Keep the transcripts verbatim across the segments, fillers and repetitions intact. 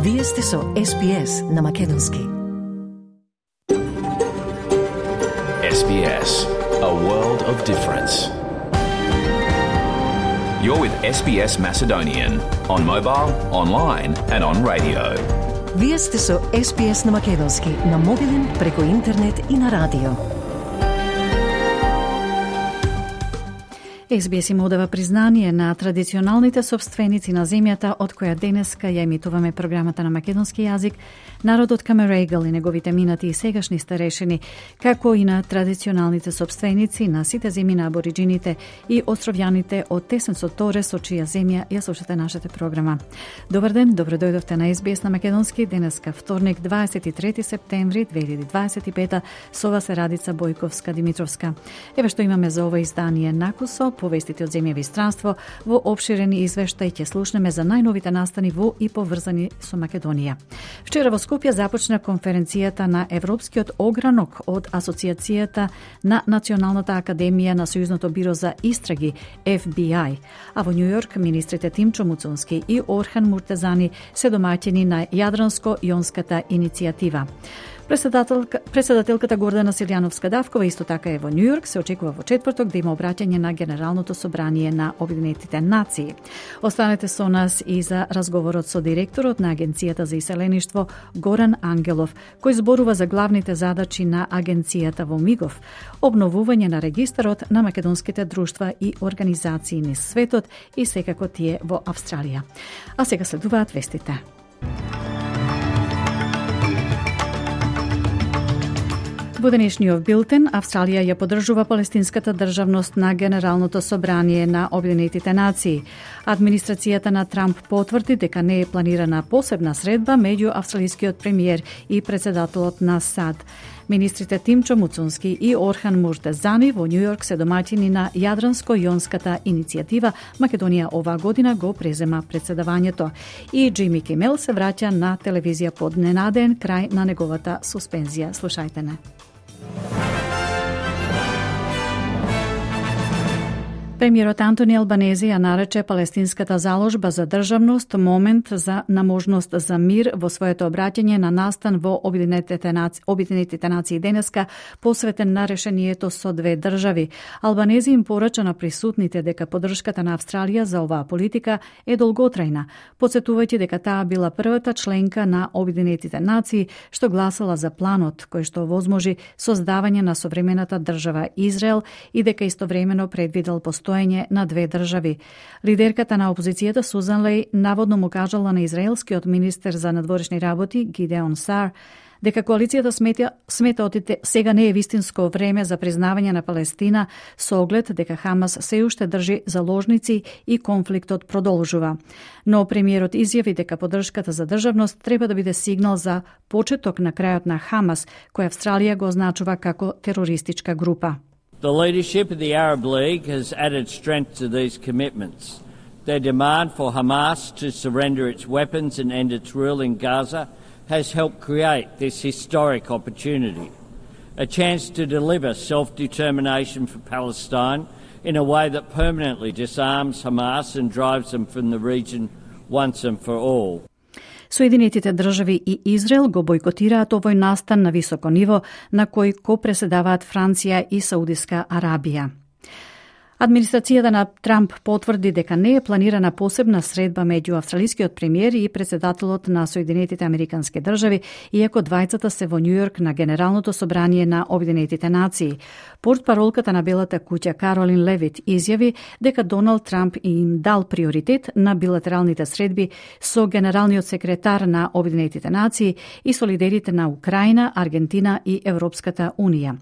Вие сте со Ес Би Ес на Македонски. Ес Би Ес, a world of difference. You're with Ес Би Ес Macedonian on mobile, online and on radio. Вие сте со Ес Би Ес на Македонски на мобилен, преку интернет и на радио. Ес Би Ес им одава признание на традиционалните собственици на земјата од која денеска ја емитуваме програмата на македонски јазик, народот Камерегал и неговите минати и сегашни старешини, како и на традиционалните собственици на сите земји на абориджините и островјаните од Тесенцо Торе, со чија земја ја слушате нашата програма. Добар ден, добро дојдовте на Ес Би Ес на Македонски, денеска вторник, дваесет и трети септември две илјади дваесет и пета, со вас е Радица Бојковска-Димитровска. Еве што имаме за ова издание накусо, повестите од земја и странство, во опширени извештај ќе слушнеме за најновите настани во и поврзани со Македонија. Вчера во Скопје започна конференцијата на Европскиот огранок од Асоциацијата на Националната академија на Сојузното биро за истраги Еф Би Ај, а во Њујорк министрите Тимчо Муцунски и Орхан Муртезани се домаќини на Јадранско-јонската иницијатива. Председателка, председателката Гордана Силјановска-Давкова исто така е во Њујорк, се очекува во четврток да има обраќање на Генералното собрание на Обединетите нации. Останете со нас и за разговорот со директорот на Агенцијата за иселеништво Горан Ангелов, кој зборува за главните задачи на агенцијата во МИГОВ, обновување на регистарот на македонските друштва и организации низ светот и секако тие во Австралија. А сега следуваат вестите. Во денешниот билтен, Австралија ја поддржува палестинската државност на Генералното собрание на Обединетите нации. Администрацијата на Трамп потврди дека не е планирана посебна средба меѓу австралискиот премиер и председателот на САД. Министрите Тимчо Муцунски и Орхан Муртезани во Њујорк се домаќини на Јадранско-јонската иницијатива. Македонија оваа година го презема председавањето. И Џими Кимел се враќа на телевизија под ненаден крај на неговата суспензија. Слушајте не. Премиерот Антони Албанези ја нарече палестинската заложба за државност момент за наможност за мир во своето обраќање на настан во Обединетите нации, Обединетите нации денеска, посветен на решението со две држави. Албанези им порача на присутните дека поддршката на Австралија за оваа политика е долготрајна, потсетувајќи дека таа била првата членка на Обединетите нации што гласала за планот кој што возможи создавање на современата држава Израел и дека истовремено предвидел постојање на две држави. Лидерката на опозицијата Сузан Леј наводно му кажала на израелскиот министер за надворешни работи Гидеон Сар дека коалицијата смета, смета одите сега не е вистинско време за признавање на Палестина со оглед дека Хамас се уште држи заложници и конфликтот продолжува. Но премиерот изјави дека поддршката за државност треба да биде сигнал за почеток на крајот на Хамас, кој Австралија го означува како терористичка група. The leadership of the Arab League has added strength to these commitments. Their demand for Hamas to surrender its weapons and end its rule in Gaza has helped create this historic opportunity, a chance to deliver self-determination for Palestine in a way that permanently disarms Hamas and drives them from the region once and for all. Соединетите држави и Израел го бојкотираат овој настан на високо ниво на кој копреседаваат Франција и Саудиска Арабија. Администрацијата на Трамп потврди дека не е планирана посебна средба меѓу австралискиот премиер и председателот на Соединетите Американски држави, иако двајцата се во Њујорк на Генералното собрание на Обединетите нации. Портпаролката на Белата куќа Каролин Левит изјави дека Доналд Трамп им дал приоритет на билатералните средби со генералниот секретар на Обединетите нации и со лидерите на Украина, Аргентина и Европската унија.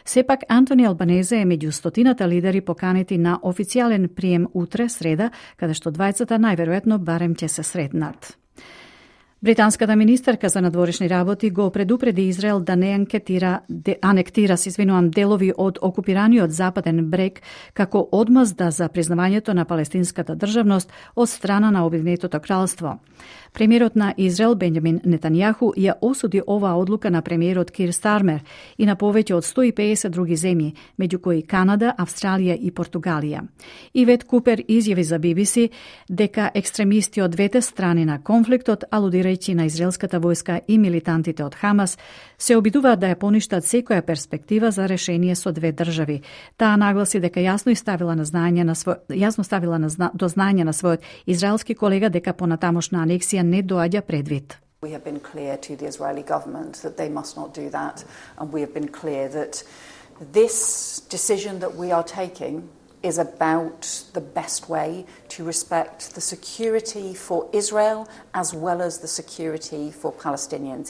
Сепак Антони Албанезе е меѓу стотината лидери поканети на официјален прием утре, среда, каде што двајцата најверојатно барем ќе се сретнат. Британската министерка за надворешни работи го предупреди Израел да не анкетира, де, анектира се извинувам, делови од окупираниот западен брег како одмазда за признавањето на палестинската државност од страна на Обединетото кралство. Премиерот на Израел Бенјамин Нетањаху ја осуди оваа одлука на премиерот Кир Стармер и на повеќе од сто и педесет други земји, меѓу кои Канада, Австралија и Португалија. Ивет Купер изјави за Би Би Си дека екстремисти од двете страни на конфликтот, алудирајќи на израелската војска и милитантите од Хамас, се обидуваат да ја поништат секоја перспектива за решение со две држави. Таа нагласи дека јасно и ставила на знаење на свој јасно ставила на зна, до знаење на својот израелски колега дека понатамошна анексија не доаѓа предвид. We have been clear to the Israeli government that they must not do that, and we have been clear that this decision that we are taking is about the best way to respect the security for Israel as well as the security for Palestinians.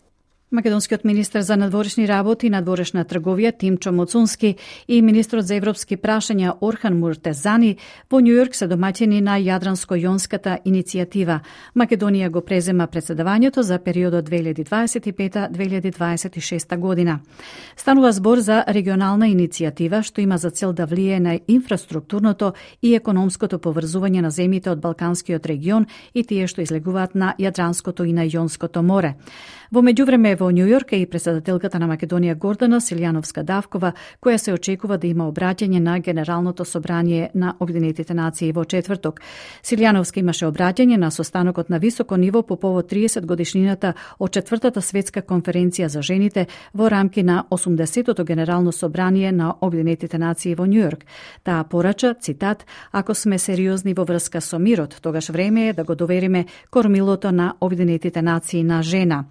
Македонскиот министер за надворешни работи и надворешна трговија Тимчо Моцунски и министрот за европски прашања Орхан Муртезани во Њујорк се домаќини на Јадранско-јонската иницијатива. Македонија го презема претседавањето за периодот две илјади дваесет и пета до две илјади дваесет и шеста година. Станува збор за регионална иницијатива што има за цел да влие на инфраструктурното и економското поврзување на земјите од Балканскиот регион и тие што излегуваат на Јадранското и на Јонското море. Во меѓувреме во Њујорк е и претседателката на Македонија Гордана Силјановска-Давкова, која се очекува да има обраќање на Генералното собрание на Обединетите нации во четврток. Силјановска имаше обраќање на состанокот на високо ниво по повод тридесет годишнината од четвртата светска конференција за жените во рамки на осумдесетото Генерално собрание на Обединетите нации во Њујорк. Таа порача, цитат: "Ако сме сериозни во врска со мирот, тогаш време е да го довериме кормилото на Обединетите нации на жена.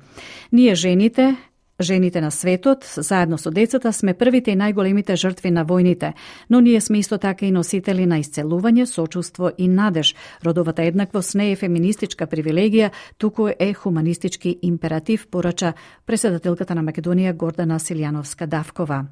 Ние жените, жените на светот, заедно со децата, сме првите и најголемите жртви на војните, но ние сме исто така и носители на исцелување, сочувство и надеж. Родовата еднаквост не е феминистичка привилегија, туку е хуманистички императив", порача претседателката на Македонија Гордана Силјановска-Давкова.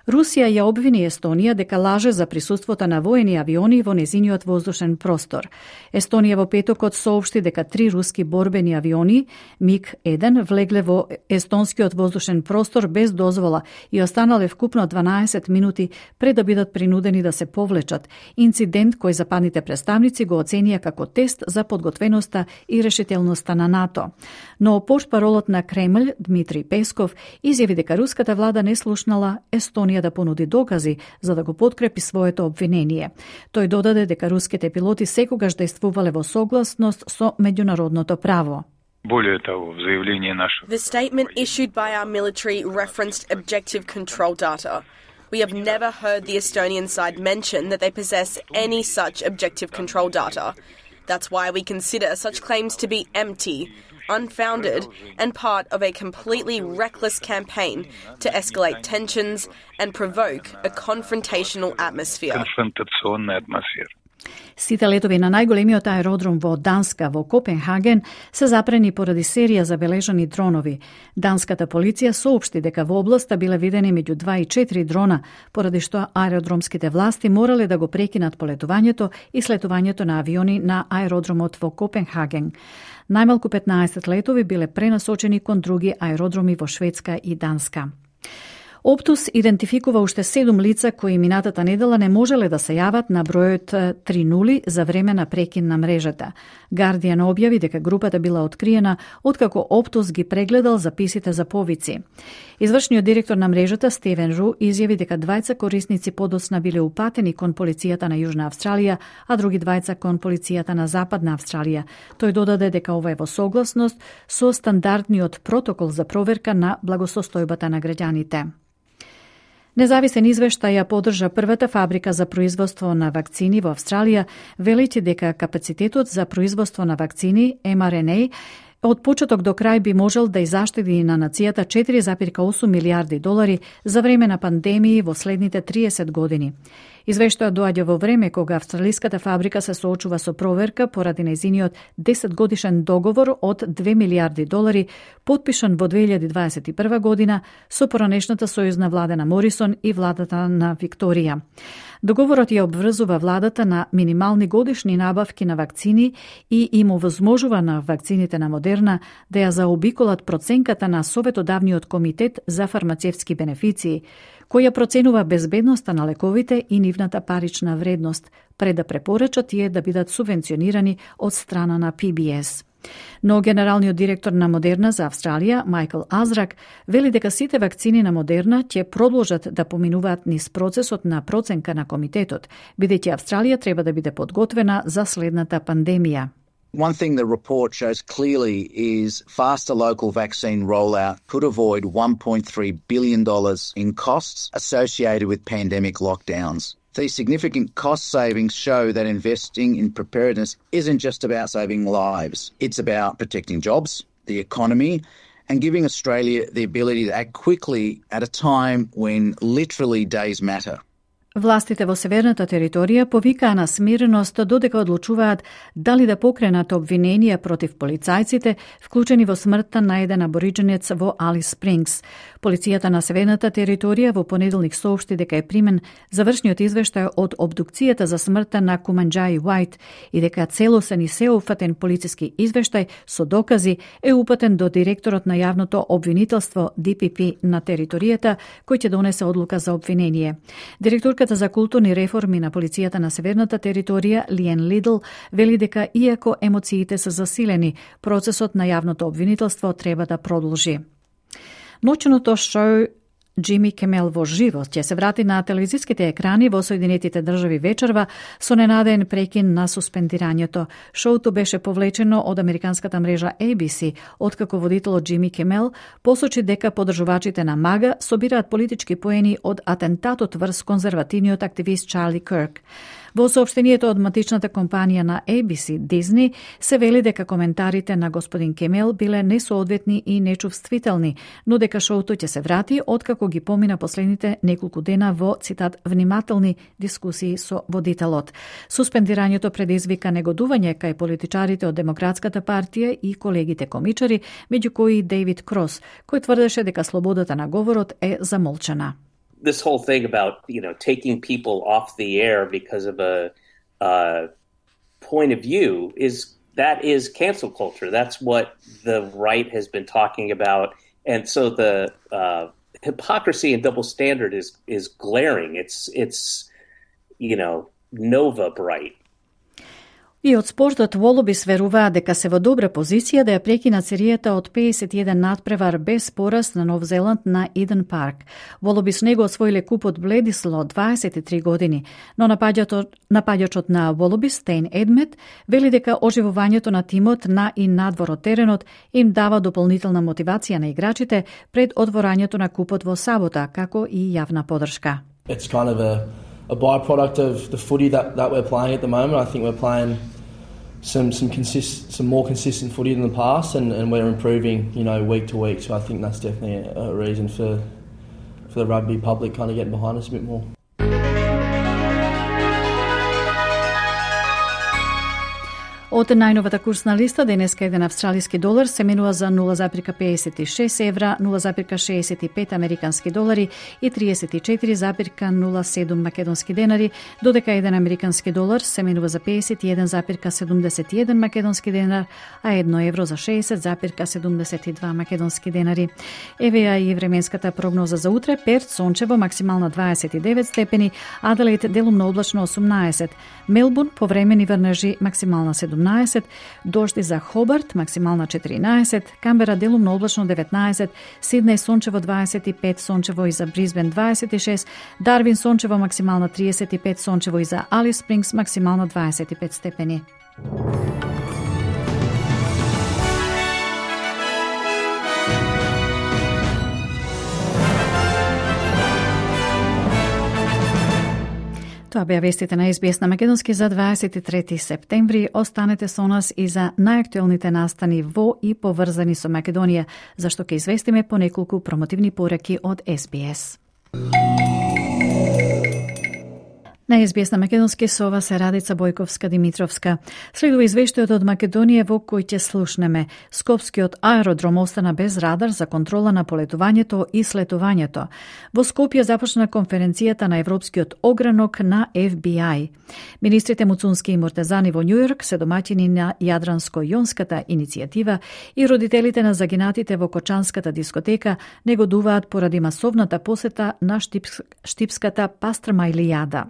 Русија ја обвини Естонија дека лаже за присуството на воени авиони во незиниот воздушен простор. Естонија во петокот соопшти дека три руски борбени авиони миг еден влегле во естонскиот воздушен простор без дозвола и останале вкупно дванаесет минути пред да бидат принудени да се повлечат. Инцидент кој западните представници го оценија како тест за подготвеноста и решителноста на НАТО. Но портпаролот на Кремљ Дмитрий Песков изјави дека руската влада не слушнала Естонија да понуди докази за да го подкрепи своето обвинение. Тој додаде дека руските пилоти секогаш действувале во согласност со меѓународното право. The statement issued by our military referenced objective control data. We have never heard the Estonian side mention that they possess any such objective control data. That's why we consider such claims to be empty, unfounded, and part of a completely reckless campaign to escalate tensions and provoke a confrontational atmosphere. Сите летови на најголемиот аеродром во Данска во Копенхаген се запрени поради серија забележани дронови. Данската полиција соопшти дека во областа биле видени меѓу два и четири дрона, поради што аеродромските власти морале да го прекинат полетувањето и слетувањето на авиони на аеродромот во Копенхаген. Најмалку петнаесет летови биле пренасочени кон други аеродроми во Шведска и Данска. Оптус идентификува уште седум лица кои минатата недела не можеле да се јават на бројот три нули за време на прекин на мрежата. Гардијан објави дека групата била откриена откако Оптус ги прегледал записите за повици. Извршниот директор на мрежата Стивен Ру изјави дека двајца корисници подоцна биле упатени кон полицијата на Јужна Австралија, а други двајца кон полицијата на Западна Австралија. Тој додаде дека ова е во согласност со стандардниот протокол за проверка на благосостојбата на граѓаните. Независен извештај ја поддржа првата фабрика за производство на вакцини во Австралија, велејќи дека капацитетот за производство на вакцини Ем Ар Ен Ей од почеток до крај би можел да изаштеди на нацијата четири зарез осум милијарди долари за време на пандемии во следните триесет години. Извештајот доаѓа во време кога австралиската фабрика се соочува со проверка поради нејзиниот десет годишен договор од две милијарди долари, потпишан во две илјади дваесет и прва година со поранешната сојузна влада на Морисон и владата на Викторија. Договорот ја обврзува владата на минимални годишни набавки на вакцини и им овозможува на вакцините на Модерна да ја заобиколат проценката на Советодавниот комитет за фармацевтски бенефиции, која проценува безбедноста на лековите и нивната парична вредност, пред да препорача тие да бидат субвенционирани од страна на Пи Би Ес. Но генералниот директор на Модерна за Австралија, Майкл Азрак, вели дека сите вакцини на Модерна ќе продолжат да поминуваат низ процесот на проценка на комитетот, бидејќи Австралија треба да биде подготвена за следната пандемија. One thing the report shows clearly is faster local vaccine rollout could avoid one point three billion dollars in costs associated with pandemic lockdowns. These significant cost savings show that investing in preparedness isn't just about saving lives. It's about protecting jobs, the economy, and giving Australia the ability to act quickly at a time when literally days matter. Властите во северната територија повикаа на смиреност додека одлучуваат дали да покренат обвиненија против полицајците, вклучени во смртта на еден аборидженец во Алис Спрингс. Полицијата на северната територија во понеделник соопшти дека е примен завршниот извештај од обдукцијата за смртта на Куманџаи Уајт и дека целосен и сеопфатен полициски извештај со докази е упатен до директорот на јавното обвинителство Ди Пи Пи на територијата, кој ќе донесе одлука за обвинение. Директорката за културни реформи на полицијата на северната територија, Лиен Лидл, вели дека иако емоциите се засилени, процесот на јавното обвинителство треба да продолжи. Ноќното шоу Джими Кимел во живо ќе се врати на телевизиските екрани во Соединетите држави вечерва со ненадеен прекин на суспендирањето. Шоуто беше повлечено од американската мрежа Ей Би Си, откако водителот Джими Кимел посочи дека подржувачите на Мага собираат политички поени од атентатот врз конзервативниот активист Чарли Кирк. Во соопштението од матичната компанија на Ей Би Си, Дизни, се вели дека коментарите на господин Кемел биле несоодветни и нечувствителни, но дека шоуто ќе се врати откако ги помина последните неколку дена во, цитат, внимателни дискусии со водителот. Суспендирањето предизвика негодување кај политичарите од Демократската партија и колегите комичари, меѓу кои Дейвид Крос, кој тврдеше дека слободата на говорот е замолчана. This whole thing about, you know, taking people off the air because of a uh, point of view is that is cancel culture. That's what the right has been talking about, and so the uh, hypocrisy and double standard is is glaring. It's it's you know nova bright. И од спортот Волобис веруваат дека се во добра позиција да ја прекинат серијата од педесет и еден надпревар без пораз на Нов Зеланд на Иден Парк. Волобис него освоиле купот Бледисло од дваесет и три години, но напаѓачот на Волобис, Стейн Едмет, вели дека оживувањето на тимот на и надвор од теренот им дава дополнителна мотивација на играчите пред отворањето на купот во сабота, како и јавна поддршка. It's kind of a a byproduct of the footy that, that we're playing at the moment. I think we're playing some some consist some more consistent footy than the past, and, and we're improving, you know, week to week. So I think that's definitely a, a reason for for the rugby public kind of getting behind us a bit more. Од најновата курсна листа, денеска еден австралиски долар се менува за нула запирка педесет и шест евра, нула запирка шеесет и пет американски долари и триесет и четири запирка нула седум македонски денари, додека еден американски долар се менува за педесет и еден запирка седумдесет и еден македонски денар, а едно евро за шеесет запирка седумдесет и два македонски денари. Еве ја и временската прогноза за утре. Перт сончево, максимална дваесет и девет степени, Аделаид делумно облачно осумнаесет, Мелбурн повремени врнежи, максимална седумнаесет, дожди за Хобарт, максимална четиринаесет, Камбера делумно облачно деветнаесет, Сиднеј сончево дваесет и пет, сончево и за Бризбен дваесет и шест, Дарвин сончево максимална триесет и пет, сончево и за Алис Спрингс максимална дваесет и пет степени. Тоа беа вестите на Ес Би Ес на македонски за дваесет и трети септември. Останете со нас и за најактуелните настани во и поврзани со Македонија, зашто ќе известиме по неколку промотивни пораки од Ес Би Ес. На Ес Би Ес на македонски со ова се Радица Бојковска-Димитровска. Следува извештајот од Македонија во кој ќе слушнеме. Скопскиот аеродром остана без радар за контрола на полетувањето и слетувањето. Во Скопје започна конференцијата на Европскиот огранок на Еф Би Ај. Министрите Муцунски и Муртезани во Њујорк се домаќини на Јадранско-јонската иницијатива и родителите на загинатите во Кочанската дискотека негодуваат поради масовната посета на штипс... штипската пастрамајлијада.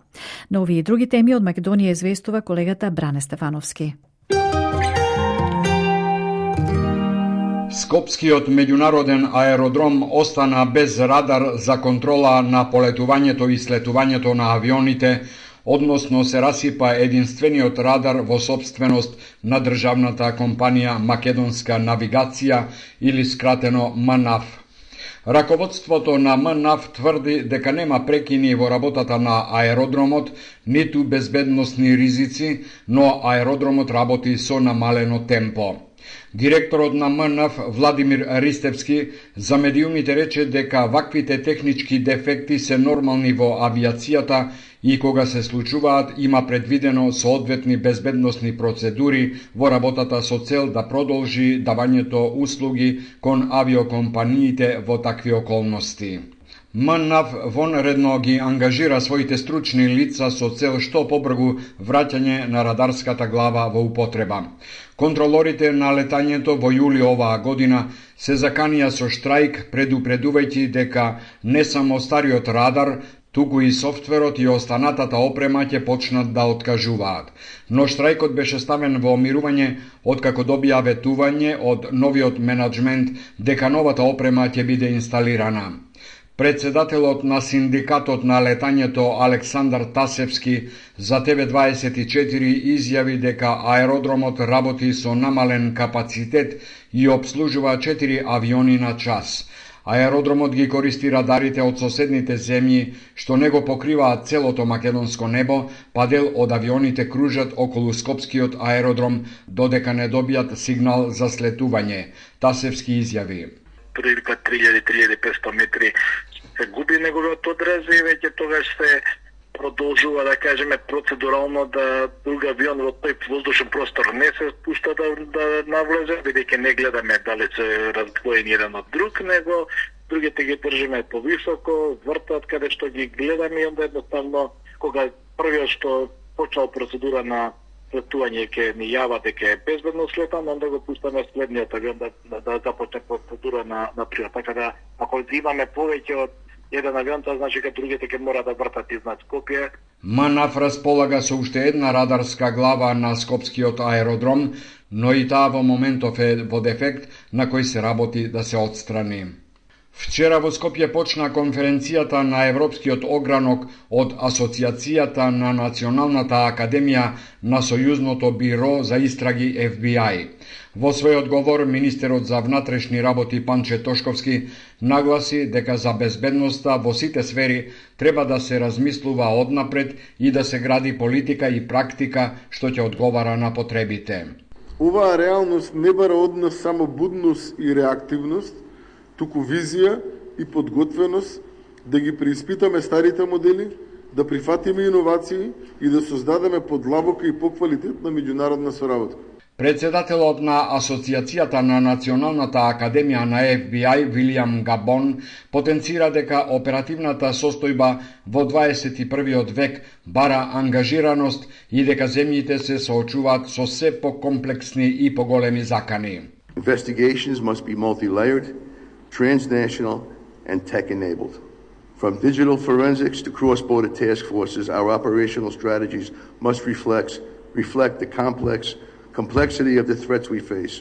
На овие и други теми од Македонија известува колегата Бране Стефановски. Скопскиот меѓународен аеродром остана без радар за контрола на полетувањето и слетувањето на авионите, односно се расипа единствениот радар во собственост на државната компанија Македонска навигација или скратено МНАВ. Раководството на МНАВ тврди дека нема прекини во работата на аеродромот, ниту безбедносни ризици, но аеродромот работи со намалено темпо. Директорот на МНАВ Владимир Ристевски за медиумите рече дека ваквите технички дефекти се нормални во авиацијата и кога се случуваат има предвидено соодветни безбедносни процедури во работата со цел да продолжи давањето услуги кон авиокомпаниите во такви околности. МНАВ вонредно ги ангажира своите стручни лица со цел што побргу враќање на радарската глава во употреба. Контролорите на летањето во јули оваа година се заканија со штрајк, предупредувајќи дека не само стариот радар, туку и софтверот и останатата опрема ќе почнат да откажуваат. Но штрајкот беше ставен во мирување откако добија ветување од новиот менаџмент дека новата опрема ќе биде инсталирана. Председателот на синдикатот на летањето Александар Тасевски за Т В дваесет и четири изјави дека аеродромот работи со намален капацитет и обслужува четири авиони на час. Аеродромот ги користи радарите од соседните земји, што не го покриваат целото македонско небо, па дел од авионите кружат околу Скопскиот аеродром, додека не добијат сигнал за слетување. Тасевски изјави. Прилика три илјади до три илјади и петстотини метри се губи неговиот одрез и веќе тогаш се продолжува, да кажеме, процедурално да друг авион во тој воздушен простор не се спушта да, да навлезе, бидејќи не гледаме дали се раздвоени еден од друг, него другите ги држиме повисоко, вртат каде што ги гледаме и onda едноставно кога првиот што почнал процедура на слетување ќе ни јава дека е безбедно слетан, онда го пуштаме следниот авион да, да, да започне процедура на, на прилет. Така да, ако имаме повеќе од еден авион, тоа значи дека другите ќе мора да вртат изнад Скопје. МНАВ располага со уште една радарска глава на Скопскиот аеродром, но и таа во моментов е во дефект на кој се работи да се отстрани. Вчера во Скопје почна конференцијата на Европскиот огранок од Асоцијацијата на Националната академија на Сојузното биро за истраги Ф Би Ај. Во својот говор, министерот за внатрешни работи Панче Тошковски нагласи дека за безбедноста во сите сфери треба да се размислува однапред и да се гради политика и практика што ќе одговара на потребите. Оваа реалност не бара од нас само будност и реактивност, туку визија и подготвеност да ги преиспитаме старите модели, да прифатиме иновации и да создадеме подлабока и поквалитетна меѓународна соработка. Председателот на Асоцијацијата на Националната академија на Ф Би Ај, Вилијам Габон, потенцира дека оперативната состојба во дваесет и првиот век бара ангажираност и дека земјите се соочуваат со се покомплексни и поголеми закани. Investigations must be multi-layered, transnational and tech-enabled. From digital forensics to cross-border task forces, our operational strategies must reflect, reflect the complex complexity of the threats we face.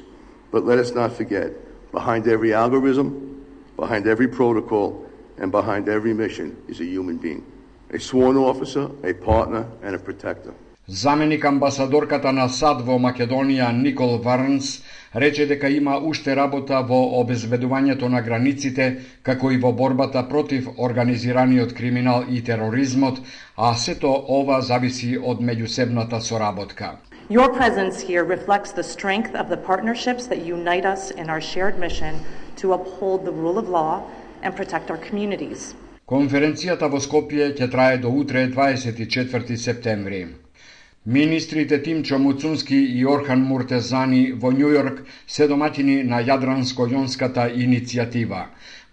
But let us not forget, behind every algorithm, behind every protocol, and behind every mission is a human being. A sworn officer, a partner, and a protector. Заменик амбасадорката на САД во Македонија Никол Варнс рече дека има уште работа во обезбедувањето на границите, како и во борбата против организираниот криминал и тероризмот, а сето ова зависи од меѓусебната соработка. Your presence here reflects the strength of the partnerships that unite us in our shared mission to uphold the rule of law and protect our communities. Конференцијата во Скопје ќе трае до утре дваесет и четврти септември. Министрите Тимчо Муцунски и Орхан Муртезани во Њујорк се домаќини на Јадранско-јонската иницијатива.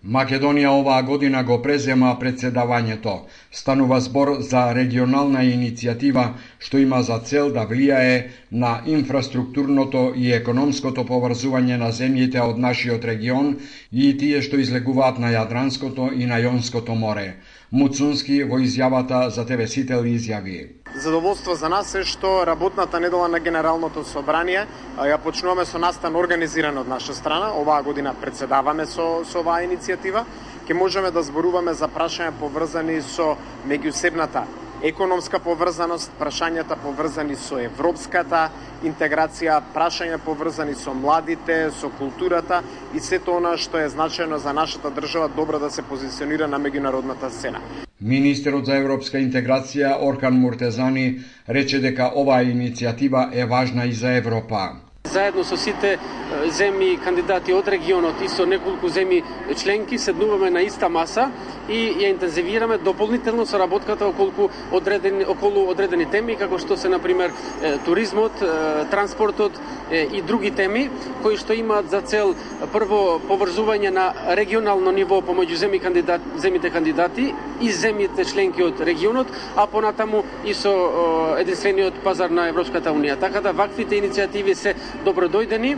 Македонија оваа година го презема председавањето. Станува збор за регионална иницијатива што има за цел да влијае на инфраструктурното и економското поврзување на земјите од нашиот регион и тие што излегуваат на Јадранското и на Јонското море. Муцунски во изјавата за Т В Сител изјави. Задоволство за нас е што работната недела на Генералното собрание ја почнуваме со настан организиран од наша страна. Оваа година председаваме со, со оваа иницијатива. Ке можеме да зборуваме за прашања поврзани со меѓусебната економска поврзаност, прашањата поврзани со европската интеграција, прашања поврзани со младите, со културата и сето она што е значајно за нашата држава добро да се позиционира на меѓународната сцена. Министерот за европска интеграција Орхан Муртезани рече дека оваа иницијатива е важна и за Европа. Заедно со сите земји кандидати од регионот и со неколку земји членки седнуваме на иста маса и ја интензивираме дополнително соработката околу одредени околу одредени теми како што се на пример туризмот, транспортот и други теми кои што имаат за цел прво поврзување на регионално ниво помеѓу земји кандидат земјите кандидати и земјите членки од регионот, а понатаму и со единствениот пазар на Европската унија. Така да ваквите иницијативи се добродојдени,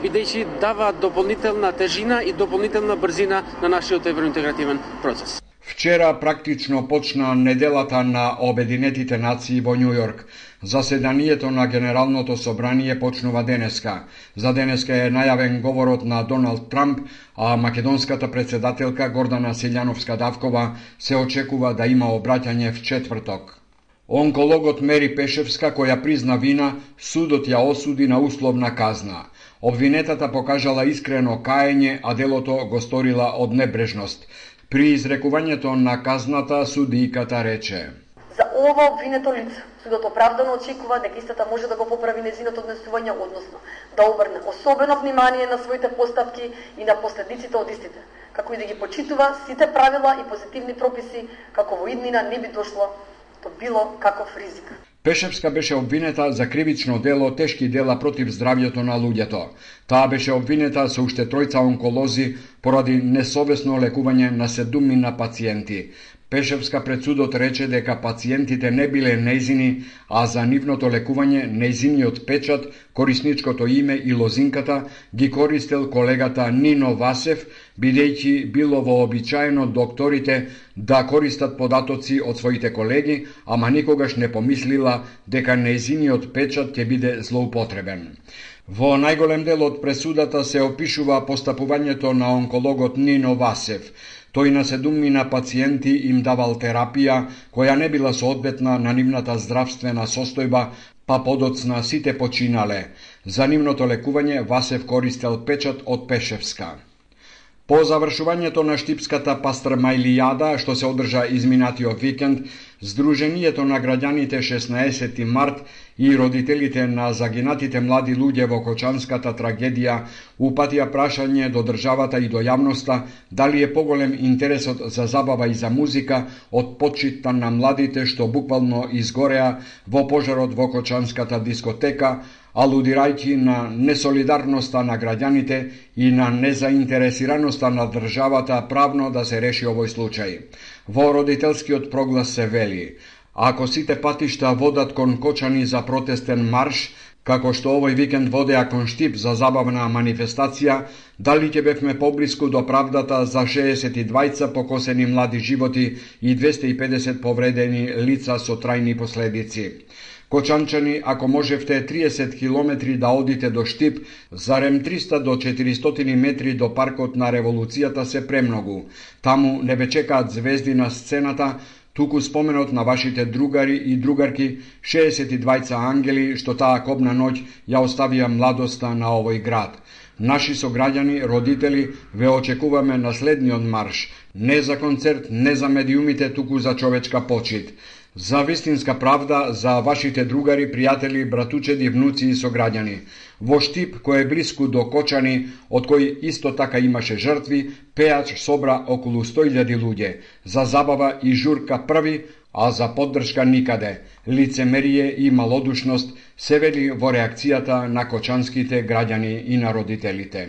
бидејќи даваат дополнителна тежина и дополнителна брзина на нашиот евроинтегративен процес. Вчера практично почна неделата на Обединетите нации во Њу Јорк. Заседанието на Генералното собрание почнува денеска. За денеска е најавен говорот на Доналд Трамп, а македонската председателка Гордана Силјановска-Давкова се очекува да има обраќање в четврток. Онкологот Мери Пешевска, која призна вина, судот ја осуди на условна казна. Обвинетата покажала искрено каење, а делото го сторила од небрежност. При изрекувањето на казната, судијката рече: За ова обвинето лице, судот оправдано очекува дека истата може да го поправи нејзиното однесување, односно да обрне особено внимание на своите постапки и на последиците од истите, како и да ги почитува сите правила и позитивни прописи, како во иднина не би дошло до било каков ризик. Пешевска беше обвинета за кривично дело тешки дела против здравјето на луѓето. Таа беше обвинета со уште тројца онколози поради несовесно лекување на седумина пациенти. Пешевска пред судот рече дека пациентите не биле нејзини, а за нивното лекување нејзиниот печат, корисничкото име и лозинката ги користел колегата Нино Васев, бидејќи било вообичаено докторите да користат податоци од своите колеги, ама никогаш не помислила дека нејзиниот печат ќе биде злоупотребен. Во најголем дел од пресудата се опишува постапувањето на онкологот Нино Васев. Тој на седумина пациенти им давал терапија која не била соодветна на нивната здравствена состојба, па подоцна сите починале. За нивното лекување Васев користел печат од Пешевска. По завршувањето на Штипската пастрмајлијада, што се одржа изминатиот викенд, Сдруженијето на граѓаните шеснаесети март и родителите на загинатите млади луѓе во Кочанската трагедија упатија прашање до државата и до јавноста дали е поголем интересот за забава и за музика од почитта на младите што буквално изгореа во пожарот во Кочанската дискотека, алудирајќи на несолидарноста на граѓаните и на незаинтересираноста на државата правно да се реши овој случај. Во родителскиот проглас се вели: ако сите патишта водат кон Кочани за протестен марш, како што овој викенд водеа кон Штип за забавна манифестација, дали ќе бевме поблиску до правдата за шеесет и двајца покосени млади животи и двесте и педесет повредени лица со трајни последици. Кочанчани, ако можевте триесет километри да одите до Штип, зарем триста до четиристотини метри до паркот на Револуцијата се премногу. Таму не ве чекаат звезди на сцената, туку споменот на вашите другари и другарки, шеесет и двајца ангели што таа кобна ноќ ја оставија младоста на овој град. Наши сограѓани, родители, ве очекуваме на следниот марш, не за концерт, не за медиумите, туку за човечка почит. За вистинска правда, за вашите другари, пријатели, братучеди, внуци и сограѓани. Во Штип, кој е блиску до Кочани, од кој исто така имаше жртви, пеач собра околу сто илјади луѓе. За забава и журка први, а за поддршка никаде. Лицемерие и малодушност се вели во реакцијата на кочанските граѓани и на родителите.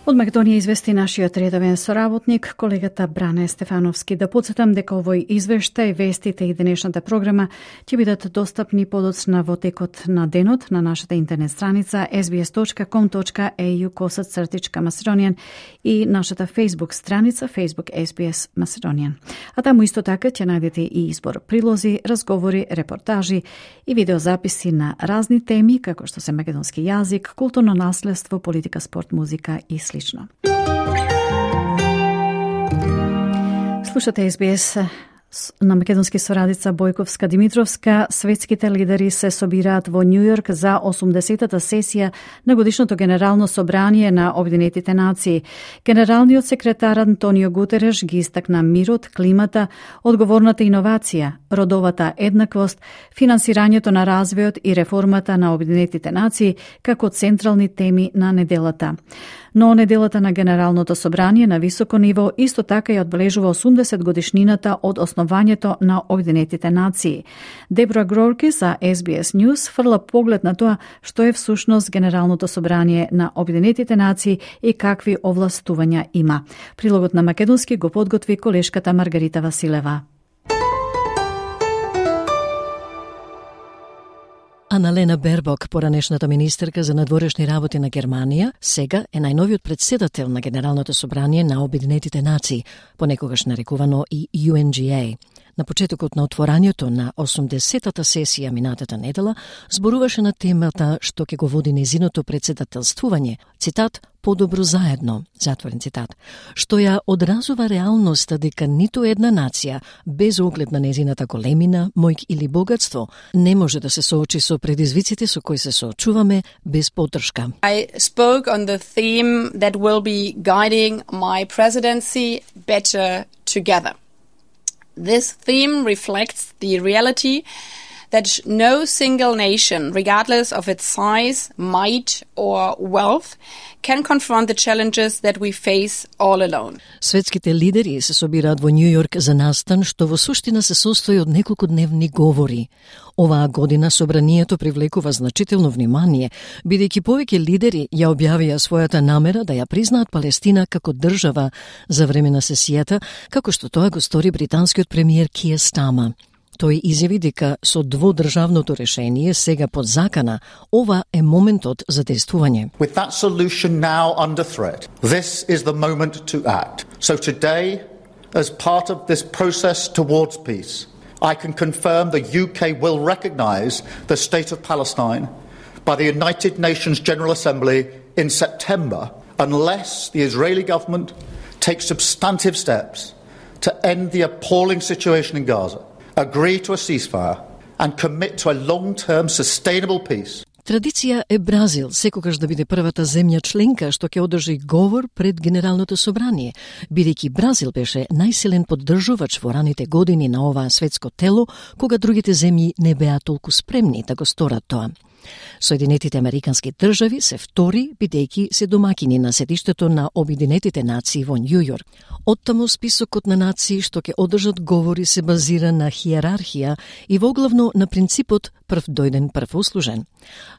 Од Македонија извести нашиот редовен соработник, колегата Бране Стефановски. Да подсетам дека овој извештај, вестите и денешната програма ќе бидат достапни подоцна во текот на денот на нашата интернет страница ес би ес точка ком точка ей ю косацртичка Macedonian и нашата Facebook страница Facebook ес би ес Macedonian. А таму исто така ќе најдете и избор прилози, разговори, репортажи и видеозаписи на разни теми, како што се македонски јазик, културно наследство, политика, спорт, музика и слично. Слушате ес би ес на македонски сорадица Бојковска Димитровска. Светските лидери се собираат во Њу Јорк за осумдесетата сесија на годишното Генерално собрание на Обединетите нации. Генералниот секретар Антонио Гутереш ги истакна мирот, климата, одговорната иновација, родовата еднаквост, финансирањето на развојот и реформата на Обединетите нации како централни теми на неделата. Но неделата на Генералното собрание на високо ниво исто така ја одбележува осумдесет годишнината од основањето на Обединетите нации. Дебра Грорки за ес би ес News фрла поглед на тоа што е всушност Генералното собрание на Обединетите нации и какви овластувања има. Прилогот на македонски го подготви колешката Маргарита Василева. Аналена Бербок, поранешната министерка за надворешни работи на Германија, сега е најновиот претседател на Генералното собрание на Обединетите нации, понекогаш нарекувано и ю ен джи ей. На почетокот на отворањето на осумдесетата сесија минатата недела зборуваше на темата што ќе го води незиното претседателствување, цитат, подобро заедно, затворен цитат, што ја одразува реалноста дека ниту една нација, без оглед на незината големина, мојк или богатство, не може да се соочи со предизвиците со кои се соочуваме без поддршка. I spoke on the theme that will be guiding my presidency, better together. This theme reflects the reality that no single nation, regardless of its size, might, or wealth, can confront the challenges that we face all alone. Светските лидери се собираат во Њу Јорк за настан што во суштина се состои од неколку дневни говори. Оваа година собранието привлекува значително внимание, бидејќи повеќе лидери ја објавија својата намера да ја признаат Палестина како држава за време на сесијата, како што тоа го стори британскиот премиер Киер Стама. Тој изјави дека со дводржавното решение сега под закана, ова е моментот за действување. With that solution now under threat, this is the moment to act. So today, as part of this process towards peace, I can confirm the U K will recognise the state of Palestine by the United Nations General Assembly in September unless the Israeli government takes substantive steps to end the appalling situation in Gaza, agree to a ceasefire and commit to a long-term sustainable peace. Традиција е Бразил секогаш да биде првата земја членка што ќе одржи говор пред Генералното собрание, бидејќи Бразил беше најсилен поддржувач во раните години на оваа светско тело, кога другите земји не беа толку спремни да го сторат тоа. Соединетите Американски држави се втори, бидејќи се домакини на седиштето на Обединетите нации во Њу Јорк. Оттаму списокот на нации што ќе одржат говори се базира на хиерархија и воглавно на принципот прв дојден прв услужен.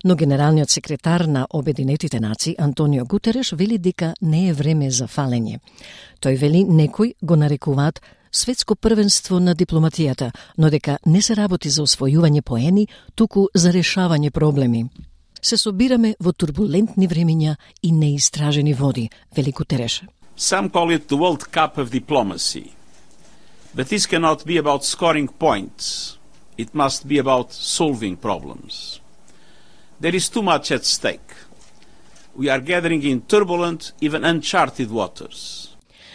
Но генералниот секретар на Обединетите нации Антонио Гутереш вели дека не е време за фалење. Тој вели некои го нарекуваат светско првенство на дипломатијата, но дека не се работи за освојување поени, туку за решавање проблеми. Се собираме во турбулентни времиња и неистражени води, вели Гутереш. Some call it the World Cup of diplomacy. But this cannot be about scoring points. It must be about solving problems. There is too much at stake. We are gathering in turbulent, even uncharted waters.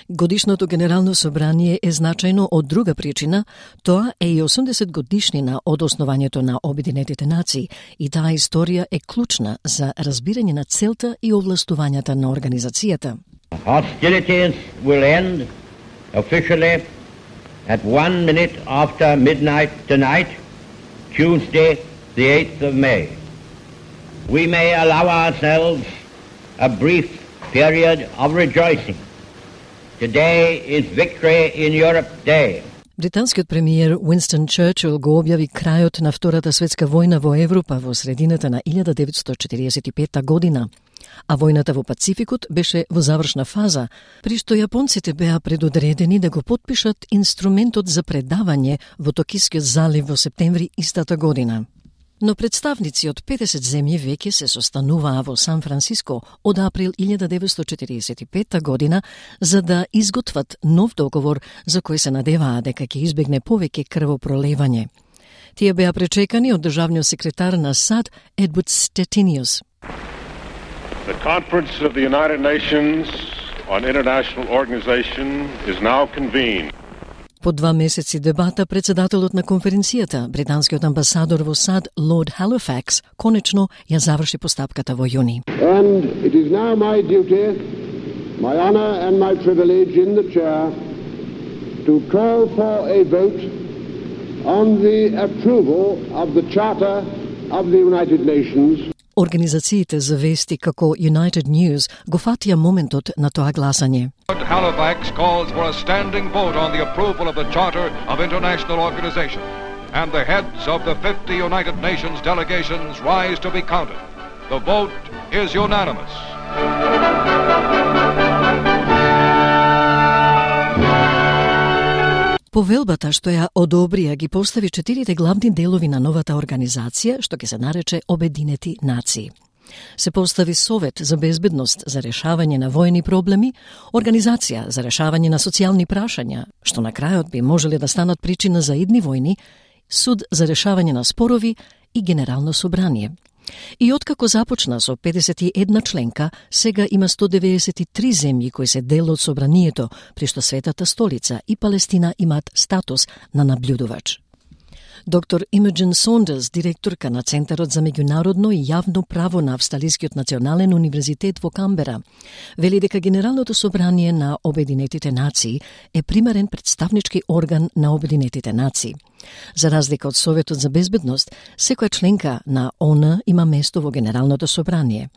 Годишното Генерално собрание е значајно од друга причина, тоа е и осумдесет годишнина од основањето на Обединетите нации и таа историја е клучна за разбирање на целта и овластувањата на организацијата. Hostilities will end officially at one minute after midnight tonight, Tuesday, the eighth of May. We may allow ourselves a brief period of rejoicing. Today is Victory in Europe Day. Британскиот премиер Уинстон Черчил го објави крајот на Втората светска војна во Европа во средината на илјада деветстотини четиридесет и петта година. А војната во Пацификот беше во завршна фаза, при што јапонците беа предодредени да го потпишат инструментот за предавање во Токискиот залив во септември истата година. Но представници од педесет земји веќе се состануваа во Сан Франциско од април илјада деветстотини четиридесет и петта година за да изготват нов договор за кој се надеваа дека ќе избегне повеќе крвопролевање. Тие беа пречекани од државниот секретар на САД Едвард Стетиниус. The Conference of the United Nations on International Organization is now convened. По два месеци дебата, председателот на конференцијата, британскиот амбасадор во САД Лорд Халифакс, конечно ја заврши постапката во јуни. And it is now my duty, my honor and my privilege in the chair to call for a vote on the approval of the Charter of the United Nations. Организациите за вести како United News го фатија моментот на тоа гласање. Halifax calls for a standing vote on the approval of the Charter of International Organization, and the heads of the fifty United Nations delegations rise to be counted. The vote is unanimous. Повелбата што ја одобрија ги постави четирите главни делови на новата организација, што ќе се нарече Обединети нации. Се постави Совет за безбедност за решавање на војни проблеми, Организација за решавање на социјални прашања, што на крајот би можеле да станат причина за идни војни, Суд за решавање на спорови и Генерално собрание. И откако започна со педесет и една членка, сега има сто деведесет и три земји кои се дел од собранието, при што Светата столица и Палестина имаат статус на наблюдувач. Доктор Имаджин Сондерс, директорка на Центарот за меѓународно и јавно право на Австралискиот национален универзитет во Камбера, вели дека Генералното собрание на Обединетите нации е примерен представнички орган на Обединетите нации. За разлика од Советот за безбедност, секоја членка на ООН има место во Генералното собрание.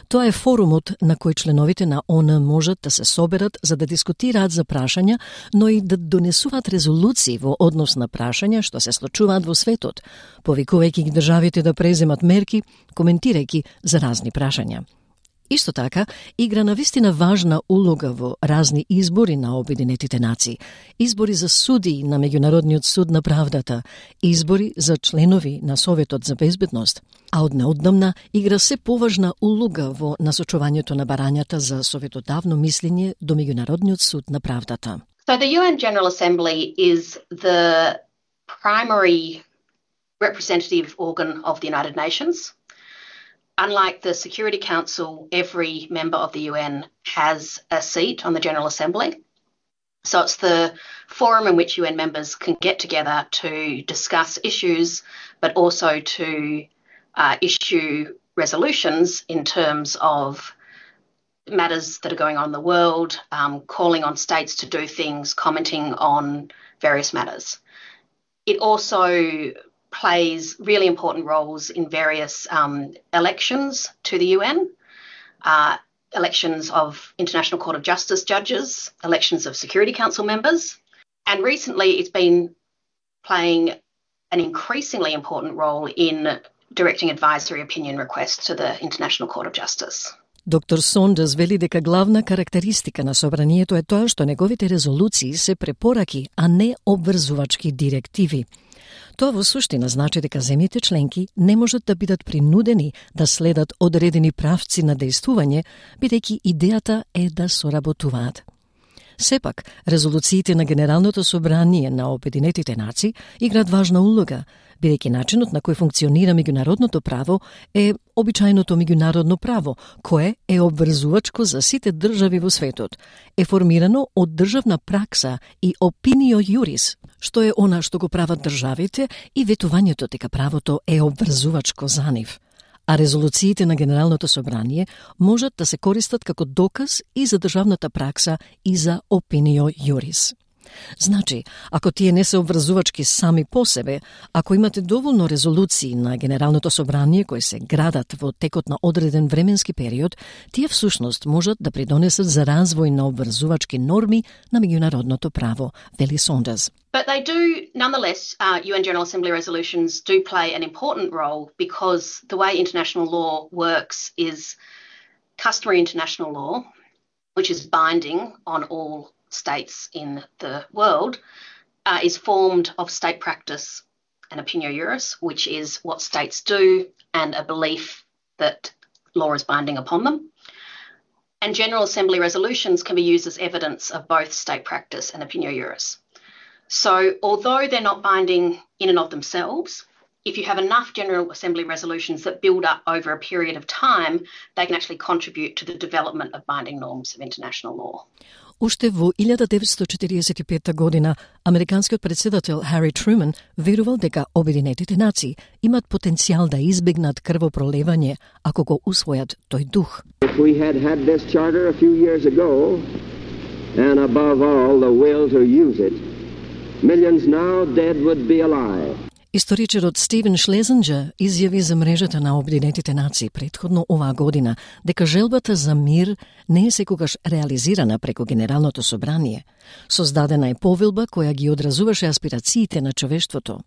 Тоа е форумот на кој членовите на ООН можат да се соберат за да дискутираат за прашања, но и да донесуваат резолуции во однос на прашања што се случуваат во светот, повикувајќи ги државите да преземат мерки, коментирајќи за разни прашања. Исто така, игра навистина важна улога во разни избори на Обединетите нации, избори за суди на Меѓународниот суд на правдата, избори за членови на Советот за безбедност, а од неодамна игра се поважна улога во насочувањето на барањата за советодавно мислење до Меѓународниот суд на правдата. So the U N General Assembly is the primary representative organ of the United Nations. Unlike the Security Council, every member of the U N has a seat on the General Assembly. So it's the forum in which U N members can get together to discuss issues, but also to uh, issue resolutions in terms of matters that are going on in the world, um, calling on states to do things, commenting on various matters. It also plays really important roles in various um, elections to the U N, uh, elections of International Court of Justice judges, elections of Security Council members, and recently it's been playing an increasingly important role in directing advisory opinion requests to the International Court of Justice. Доктор Сондерс вели дека главна карактеристика на собранието е тоа што неговите резолуции се препораки, а не обврзувачки директиви. Тоа во суштина значи дека земјите членки не можат да бидат принудени да следат одредени правци на дејствување, бидејќи идејата е да соработуваат. Сепак, резолуциите на Генералното собрание на Обединетите нации играат важна улога, бидејќи начинот на кој функционира меѓународното право е обичајното меѓународно право, кое е обврзувачко за сите држави во светот, е формирано од државна пракса и опинио јурис, што е она што го прават државите и ветувањето дека правото е обврзувачко за нив. А резолуциите на Генералното собрание можат да се користат како доказ и за државната пракса и за опинио јурис. Значи, ако тие не се обврзувачки сами по себе, ако имате доволно резолуции на Генералното собрание кои се градат во текот на одреден временски период, тие всушност можат да придонесат за развој на обврзувачки норми на меѓународното право, вели Сондерс. But they do, nonetheless, uh, U N General Assembly resolutions do play an important role because the way international law works is customary international law, which is binding on all states in the world, uh, is formed of state practice and opinio juris, which is what states do and a belief that law is binding upon them. And General Assembly resolutions can be used as evidence of both state practice and opinio juris. So although they're not binding in and of themselves, if you have enough General Assembly resolutions that build up over a period of time, they can actually contribute to the development of binding norms of international law. Уште во илјада деветстотини четиридесет и петта година, американскиот председател Хари Труман верувал дека Обединетите нации имат потенцијал да избегнат крвопролевање ако го усвојат тој дух. If we had had this charter a few years ago, and above all the will to use it, millions now dead would be alive. Историчарот Стивен Шлезенџер изјави за мрежата на Обединетите нации претходно оваа година дека желбата за мир не е секогаш реализирана преку Генералното собрание. Создадена е повелба која ги одразуваше аспирациите на човештвото.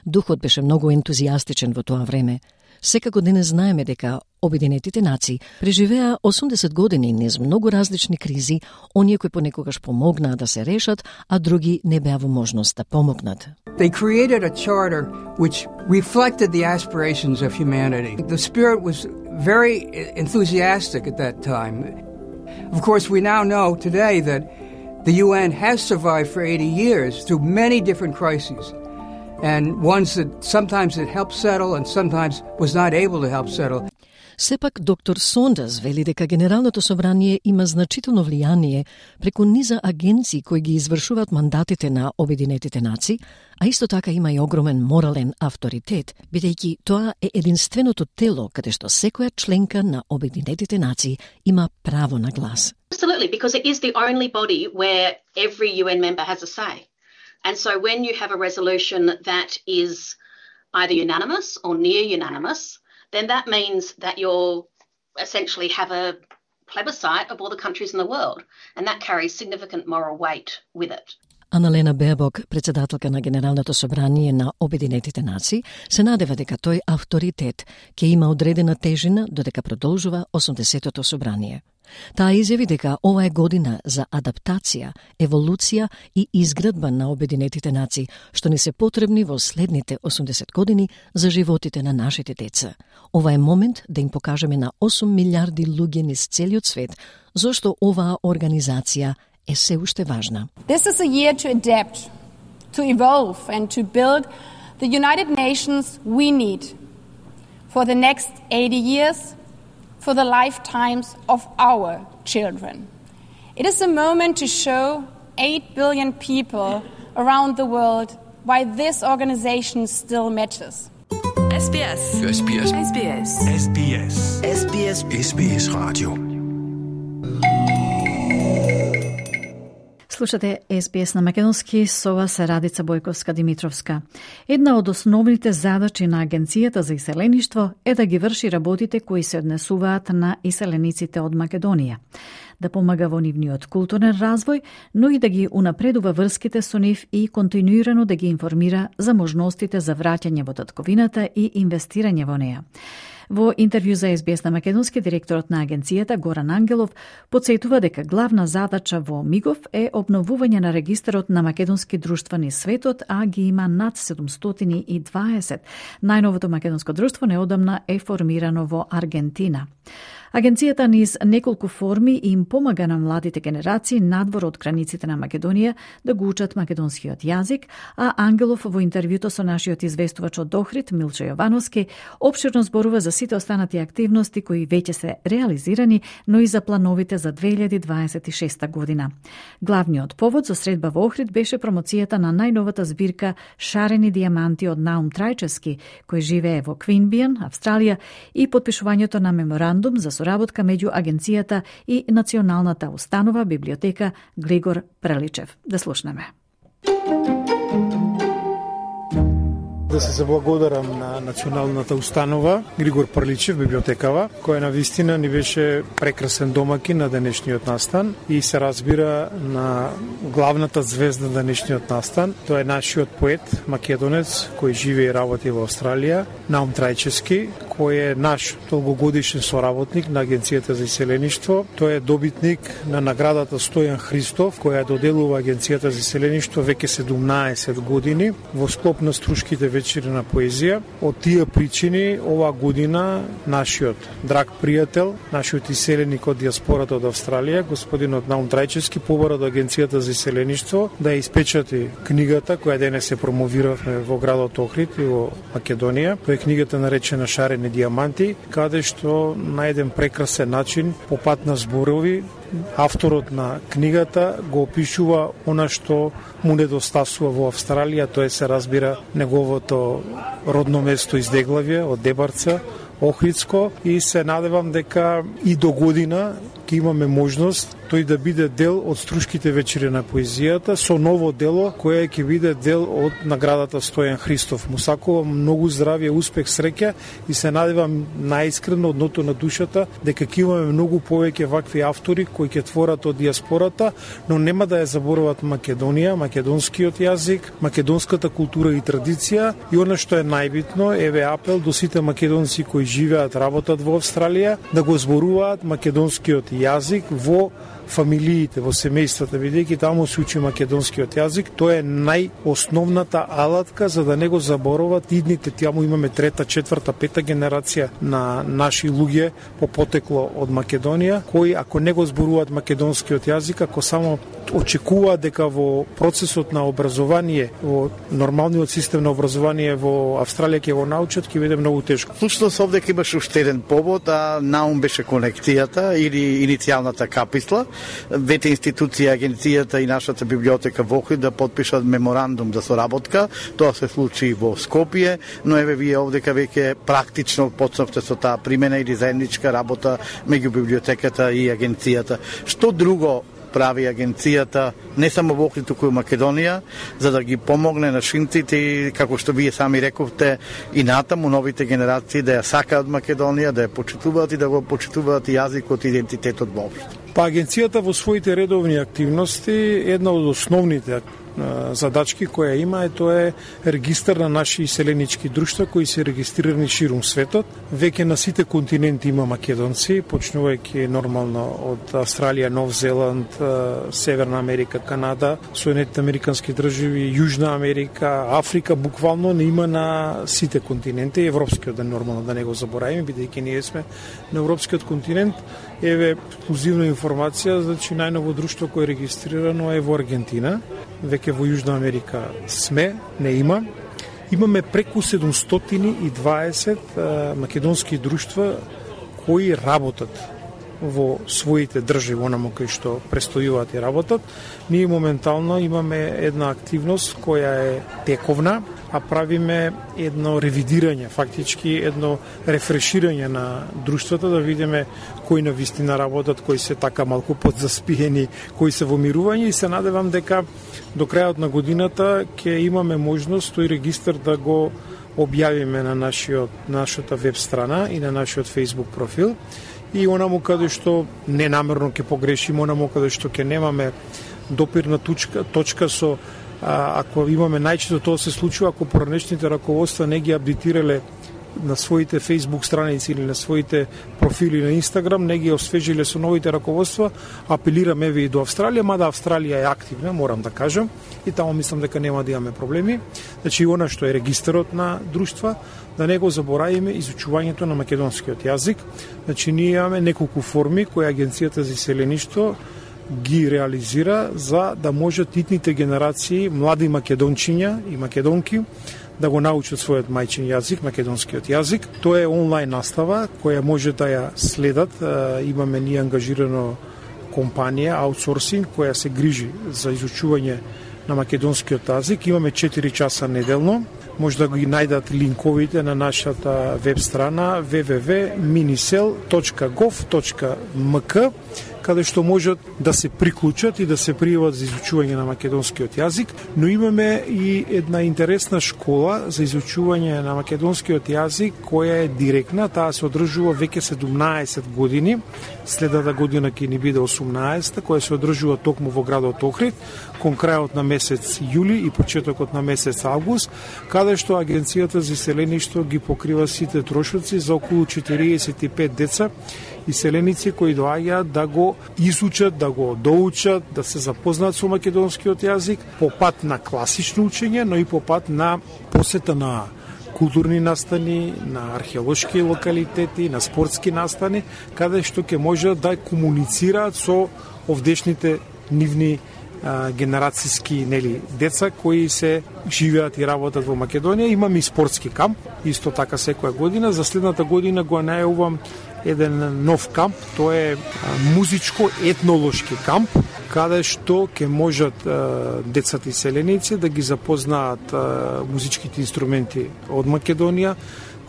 Духот беше многу ентузијастичен во тоа време. Секако денес знаеме дека Обединетите нации преживеа осумдесет години низ многу различни кризи, оние кои понекогаш помогнаа да се решат, а други не беа во можност да помогнат. They created a charter which reflected the aspirations of humanity. The spirit was very enthusiastic at that time. Of course, we now know today that the U N has survived for eighty years through many different crises, and ones that sometimes it helped settle and sometimes was not able to help settle. Сепак, доктор Сондерс вели дека Генералното собрание има значително влијание преку низа агенции кои ги извршуваат мандатите на Обединетите нации, а исто така има и огромен морален авторитет, бидејќи тоа е единственото тело каде што секоја членка на Обединетите нации има право на глас. Absolutely, because it is the only body where every U N member has a say. And so when you have a resolution that is either unanimous or near unanimous, then that means that you'll essentially have a plebiscite of all the countries in the world, and that carries significant moral weight with it. Аналена Бебок, председателка на Генералното собрание на Обединетите нации, се надева дека тој авторитет ќе има одредена тежина додека продолжува осумдесетото собрание. Таа изјави дека ова е година за адаптација, еволуција и изградба на Обединетите нации, што ни се потребни во следните осумдесет години за животите на нашите деца. Ова е момент да им покажеме на осум милиарди луѓе низ целиот свет зошто оваа организација е се уште важна. This is a year to adapt, to evolve and to build the United Nations we need for the next eighty years, for the lifetimes of our children. It is a moment to show eight billion people around the world why this organization still matters. S B S. S B S. S B S. S B S. S B S. S B S Radio. Слушате Ес Би Ес на македонски, со вас е Радица Бојковска-Димитровска. Една од основните задачи на Агенцијата за иселеништво е да ги врши работите кои се однесуваат на иселениците од Македонија, да помага во нивниот културен развој, но и да ги унапредува врските со нив и континуирано да ги информира за можностите за враќање во татковината и инвестирање во неа. Во интервју за Ес Би Ес на македонски, директорот на агенцијата Горан Ангелов потсетува дека главна задача во МИГОВ е обновување на регистарот на македонски друштва низ светот, а ги има над седумстотини и дваесет. Најновото македонско друштво неодамна е формирано во Аргентина. Агенцијата низ неколку форми им помага на младите генерации надвор од границите на Македонија да го учат македонскиот јазик, а Ангелов во интервјуто со нашиот известувач од Охрид, Милчо Јовановски, опширно зборува за сите останати активности кои веќе се реализирани, но и за плановите за две илјади дваесет и шеста година. Главниот повод за средба во Охрид беше промоцијата на најновата збирка Шарени дијаманти од Наум Трајчевски, кој живее во Квинбијан, Австралија, и потпишувањето на меморандум за соработка меѓу агенцијата и Националната установа библиотека Глигор Преличев. Да слушнеме. Да се заблагодарам на Националната установа Григор Прличев, библиотекава, која на вистина ни беше прекрасен домакин на денешниот настан и се разбира на главната звезда на денешниот настан. Тоа е нашиот поет, македонец, кој живее и работи во Австралија, Наум Трајчевски, кој е наш долгогодишен соработник на Агенцијата за иселеништво. Тој е добитник на наградата Стојан Христов, која доделува Агенцијата за иселеништво веќе седумнаесет години во склоп на Струшките вечери на поезија. Од тие причини ова година нашиот драг пријател, нашиот иселеник од диаспората од Австралија, господинот Наум Трајчевски, побара до Агенцијата за иселеништво да ја испечати книгата која денес се промовиравме во градот Охрид и во Македонија. Тоа е книгата наречена Шарени диаманти, каде што на еден прекрасен начин по пат на зборови авторот на книгата го опишува она што му недостасува во Австралија, тоа се разбира неговото родно место из Деглавје, од Дебарца, Охридско, и се надевам дека и до година ќе имаме можност тој да биде дел од Струшките вечери на поезијата со ново дело кое ќе биде дел од наградата Стојан Христов. Му сакувам многу здравје, успех, среќа и се надевам најискрено од дното на душата дека ќе имаме многу повеќе вакви автори кои ќе творат од диаспората, но нема да ја заборават Македонија, македонскиот јазик, македонската култура и традиција, и она што е најбитно, еве апел до сите македонци кои живеат, работат во Австралија, да го зборуваат македонскиот јазик во фамилиите, во семејствата, бидејќи таму се учи македонскиот јазик. Тоа е најосновната алатка за да не го заборават идните. Таму имаме трета, четврта, пета генерација на наши луѓе по потекло од Македонија, кои ако не го зборуваат македонскиот јазик, ако само очекуваат дека во процесот на образование, во нормалниот систем на образование во Австралија ќе го научат, ќе биде многу тешко. Слушно овде имаше уште еден повод, а Наум беше конектијата или иницијалната каписла. Двете институции, агенцијата и нашата библиотека во Охрид да подпишат меморандум за соработка. Тоа се случи во Скопје, но еве вие овдека веќе практично почнавте со таа примена или заедничка работа меѓу библиотеката и агенцијата. Што друго прави агенцијата не само во Охрид, туку и Македонија, за да ги помогне на шинците, како што вие сами рековте, и натаму новите генерации да ја сакаат Македонија, да ја почитуваат и да го почитуваат и јазикот и идентитетот воопшто? Па агенцијата во своите редовни активности, една од основните задачки која има е тоа е регистар на наши иселенички друштва кои се регистрирани ширум светот. Веќе на сите континенти има македонци, почнувајќи нормално од Австралија, Нов Зеланд, Северна Америка, Канада, Соединетите американски држави, Јужна Америка, Африка, буквално не има на сите континенти, европскиот да нормално да не го заборавиме, бидејќи ние сме на европскиот континент. Еве ексклузивна информација, значи најново друштво кое е регистрирано е во Аргентина, веќе во Јужна Америка сме, не има. Имаме преку седумстотини и дваесет а, македонски друштва кои работат во своите држави, онаму кои што престојуваат и работат. Ние моментално имаме една активност која е тековна, а правиме едно ревидирање, фактички едно рефреширање на друштвата, да видиме кои на вистина работат, кои се така малку подзаспиени, кои се во мирување, и се надевам дека до крајот на годината ќе имаме можност тој регистар да го објавиме на нашиот, нашата веб страна и на нашиот Facebook профил. И онаму каде што ненамерно ќе погрешиме, онаму каде што ќе немаме допирна точка, точка со а, ако имаме најчесто тоа се случува ако поранешните раководства не ги апдейтирале на своите Facebook страници или на своите профили на Инстаграм, не ги освежиле со новите раководства, апелираме еве и до Австралија, мада Австралија е активна, морам да кажам, и таму мислам дека нема да имаме проблеми. Значи, она што е регистарот на друштва, да не го заборавиме изучувањето на македонскиот јазик. Значи, ние имаме неколку форми кои Агенцијата за иселеништво ги реализира за да можат итните генерации млади македончиња и македонки да го научат својот мајчин јазик, македонскиот јазик. Тоа е онлайн настава која може да ја следат. Имаме ние ангажирано компанија, аутсорсинг, која се грижи за изучување на македонскиот јазик. Имаме четири часа неделно. Може да ги најдат линковите на нашата веб страна w w w точка minisel точка gov точка m k, каде што можат да се приклучат и да се пријават за изучување на македонскиот јазик, но имаме и една интересна школа за изучување на македонскиот јазик која е директна, таа се одржува веќе седумнаесет години, следната година ќе ни биде осумнаесета, која се одржува токму во градот Охрид, кон крајот на месец јули и почетокот на месец август, каде што Агенцијата за иселеништво ги покрива сите трошоци за околу четириесет и пет деца иселеници кои доаѓаат да го изучат, да го доучат, да се запознаат со македонскиот јазик по пат на класично учење, но и по пат на посета на културни настани, на археолошки локалитети, на спортски настани, каде што ќе можат да комуницираат со овдешните нивни а, генерацијски нели деца кои се живеат и работат во Македонија. Имаме и спортски камп, исто така секоја година. За следната година го најавувам еден нов камп, тоа е музичко-етнолошки камп, каде што ќе можат а, децата иселеници да ги запознаат а, музичките инструменти од Македонија,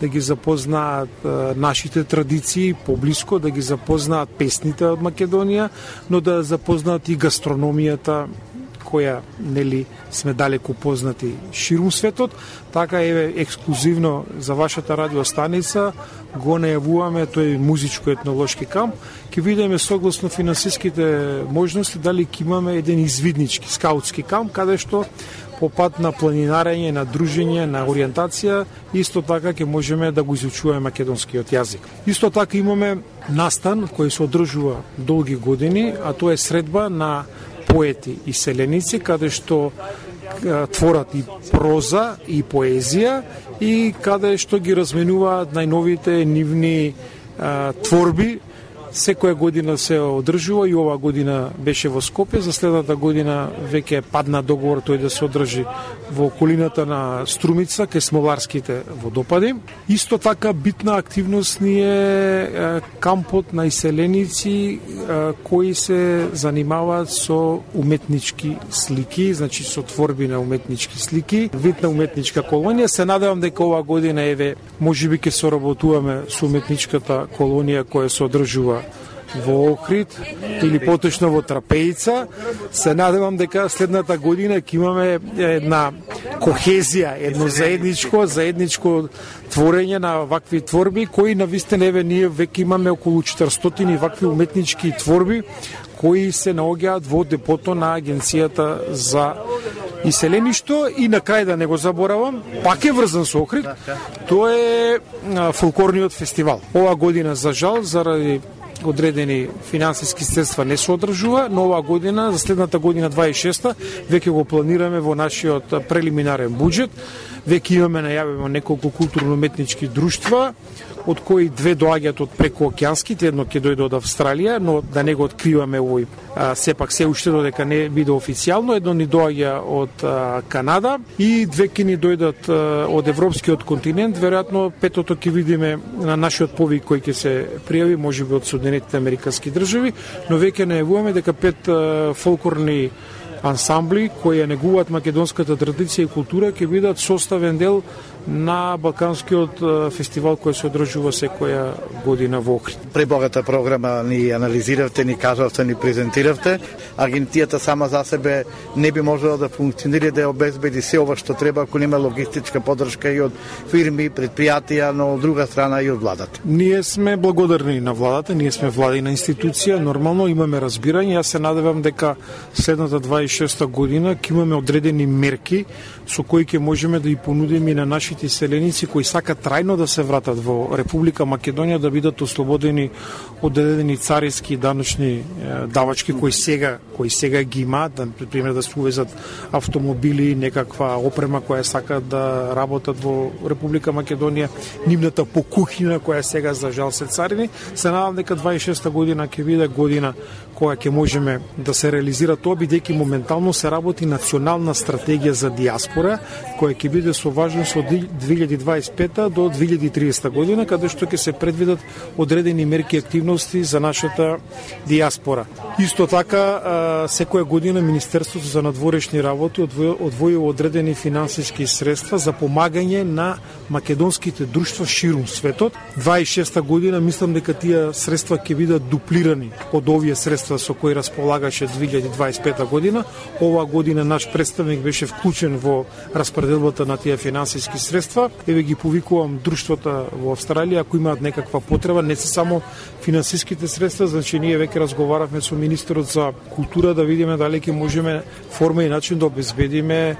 да ги запознаат а, нашите традиции поблиско, да ги запознаат песните од Македонија, но да запознаат и гастрономијата која нели сме далеку познати ширум светот. Така е ексклузивно за вашата радиостаница го најавуваме тој музичко-етнолошки камп. Ќе видиме согласно финансиските можности дали ќе имаме еден извиднички скаутски камп каде што по пат на планинарење, на дружење, на ориентација, исто така ќе можеме да го изучуваме македонскиот јазик. Исто така имаме настан кој се одржува долги години, а тоа е средба на поети и селеници, каде што творат и проза и поезија и каде што ги разменуваат најновите нивни а, творби. Секоја година се одржува и оваа година беше во Скопје, за следната година веќе падна договор тој да се одржи во околината на Струмица, кај Смоларските водопади. Исто така битна активност ни е кампот на иселеници кои се занимаваат со уметнички слики, значи со творби на уметнички слики, вид на уметничка колонија. Се надевам дека оваа година еве можеби ќе соработуваме со уметничката колонија која се одржува во Охрид или поточно во Трапејица. Се надевам дека следната година ќе имаме една кохезија, едно заедничко, заедничко творење на вакви творби, кои навистина еве ние веќе имаме околу четиристотини вакви уметнички творби кои се наоѓаат во депото на Агенцијата за иселеништво. И на крај да не го заборавам, пак е врзан со Охрид, тоа е фолклорниот фестивал. Оваа година за жал заради одредени финансиски средства не се одржува, но оваа година, за следната година дваесет и шеста, веќе го планираме во нашиот прелиминарен буџет. Веќе имаме најавено неколку културно-уметнички друштва, од кои две доаѓаат од прекоокеанските, едно ќе дојде од Австралија, но да не го откриваме овој, а, сепак се уште додека не биде официјално, едно ни доаѓа од а, Канада и две ќе ни дојдат а, од европскиот континент, веројатно петото ќе видиме на нашиот повик кој ќе се пријави, можеби од Соединетите американски држави, но веќе најавуваме дека пет а, фолклорни ансамбли кои ја негуваат македонската традиција и култура ќе бидат составен дел на Балканскиот фестивал кој се одржува секоја година во Охрид. Пребогата програма ни анализиравте, ни кажавте, ни презентиравте. Агенцијата сама за себе не би можела да функционира да обезбеди се ова што треба ако нема логистичка поддршка и од фирми, предпријатија, но од друга страна и од владата. Ние сме благодарни на владата, ние сме владина институција, нормално имаме разбирање. Јас се надевам дека следната дваесет и шеста година ќе имаме одредени мерки со кои ќе можеме да и понудиме и на нашите иселеници кои сакат трајно да се вратат во Република Македонија да бидат ослободени од одредени цариски и даночни давачки кои сега кои сега ги имаат, да пример да се увезат автомобили, некаква опрема која сакат да работат во Република Македонија, нивната покухина која сега за жал се царини. Се надам дека дваесет и шеста година ќе биде година која ќе можеме да се реализира тоа, бидејќи моментално се работи национална стратегија за диаспора, која ќе биде со важност од две илјади дваесет и пета до две илјади и триесета година, каде што ќе се предвидат одредени мерки и активности за нашата диаспора. Исто така, секоја година Министерството за надворешни работи одвојува одредени финансиски средства за помагање на македонските друштва ширум светот. дваесет и шеста година мислам дека тие средства ќе бидат дуплирани од овие средства со кои располагаше две илјади дваесет и пета година. Оваа година наш представник беше вклучен во распределбата на тие финансиски средства. Еве ги повикувам друштвата во Австралија ако имаат некаква потреба, не се само финансиските средства, значи ние веќе разговаравме со министерот за култура да видиме дали ќе можеме форма и начин да обезбедиме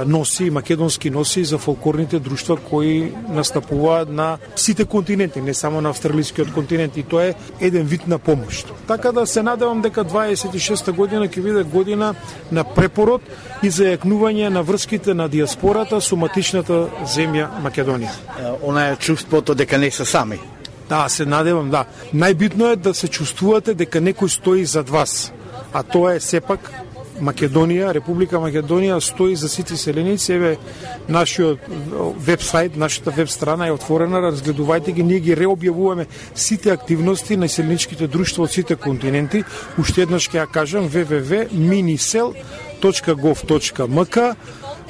носи, македонски носи за фолклорните друштва кои настапуваат на сите континенти, не само на австралискиот континент, и тоа е еден вид на помош. Така да се надевам дека дваесет и шеста година ќе биде година на препород и за јакнување на врските на диаспората со матичната земја Македонија. Она е чувството дека не се сами. Да, се надевам, да. Најбитно е да се чувствувате дека некој стои зад вас, а тоа е сепак Македонија, Република Македонија стои за сите селеници. Еве нашиот вебсайт, нашата веб страна е отворена, разгледувајте ги, ние ги реобјавуваме сите активности на селеничките друштва од сите континенти. Уште еднаш ќе ја кажам double-u double-u double-u точка minisel точка gov точка m k.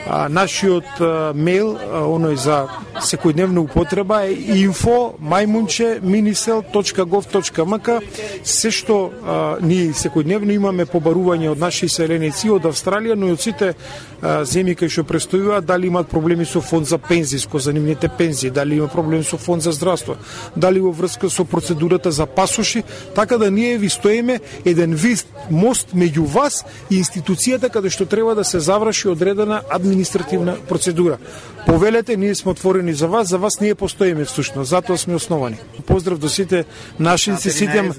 А, нашиот а, мейл, а, оној за секојдневна употреба е info мајмунче minisel точка gov точка m k. Се што а, ние секојдневно имаме побарување од наши селеници од Австралија, но и од сите а, земји кои што престојуваат, дали имаат проблеми со фонд за пензиско, за нивните пензии, дали има проблеми со фонд за здравство, дали во врска со процедурата за пасоши, така да ние ви стоиме еден вид мост меѓу вас и институцијата каде што треба да се заврши одредена административна процедура. Повелете, ние сме отворени за вас, за вас ние постоиме всушност, затоа сме основани. Поздрав до сите нашинци, сите, на,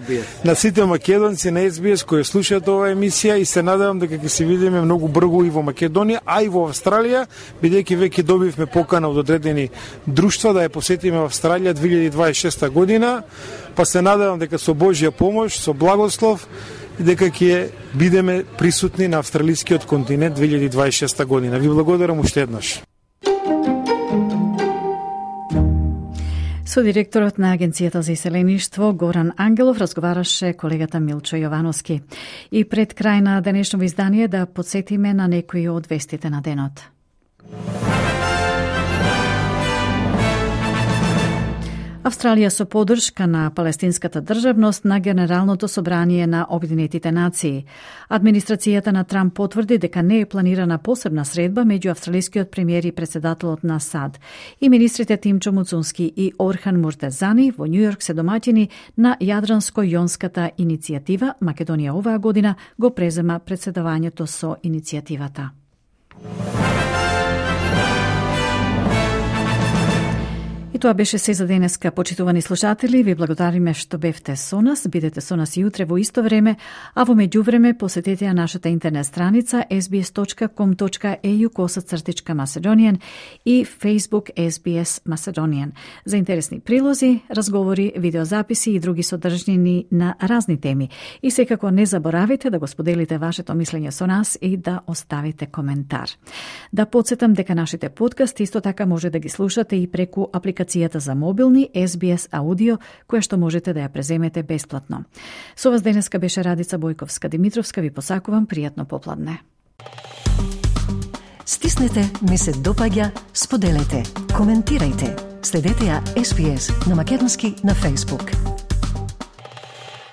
на сите македонци на Ес Би Ес кои слушаат оваа емисија и се надевам дека ќе се видиме многу брзо и во Македонија, а и во Австралија, бидејќи веќе добивме покана од одредени друштва да ја посетиме во Австралија две илјади дваесет и шеста година, па се надевам дека со Божја помош, со благослов, дека ќе бидеме присутни на австралискиот континент две илјади дваесет и шеста година. Ви благодарам уште еднаш. Со директорот на Агенцијата за иселеништво Горан Ангелов разговараше колегата Милчо Јовановски. И пред крај на денешното издание да подсетиме на некои од вестите на денот. Австралија со поддршка на палестинската државност на Генералното собрание на Обединетите нации. Администрацијата на Трамп потврди дека не е планирана посебна средба меѓу австралискиот премиер и председателот на САД. И министрите Тимчо Муцунски и Орхан Муртезани во Њујорк се домаќини на Јадранско-јонската иницијатива. Македонија оваа година го презема председавањето со иницијативата. И тоа беше се за денеска, почитувани слушатели. Ви благодариме што бевте со нас. Бидете со нас и утре во исто време, а во меѓувреме посетете ја нашата интернет страница ес би ес точка ком точка е ю косацртичка Macedonian и Facebook Ес Би Ес Macedonian. За интересни прилози, разговори, видеозаписи и други содржини на разни теми. И секако не заборавите да го споделите вашето мислење со нас и да оставите коментар. Да подсетам дека нашите подкасти исто така може да ги слушате и преку апликацијата за мобилни Ес Би Ес Аудио, која што можете да ја преземете бесплатно. Со вас денеска беше Радица Бојковска-Димитровска. Ви посакувам пријатно попладне. Стиснете, ми се допаѓа, споделете, коментирајте. Следете ја Ес Би Ес на македонски на Facebook.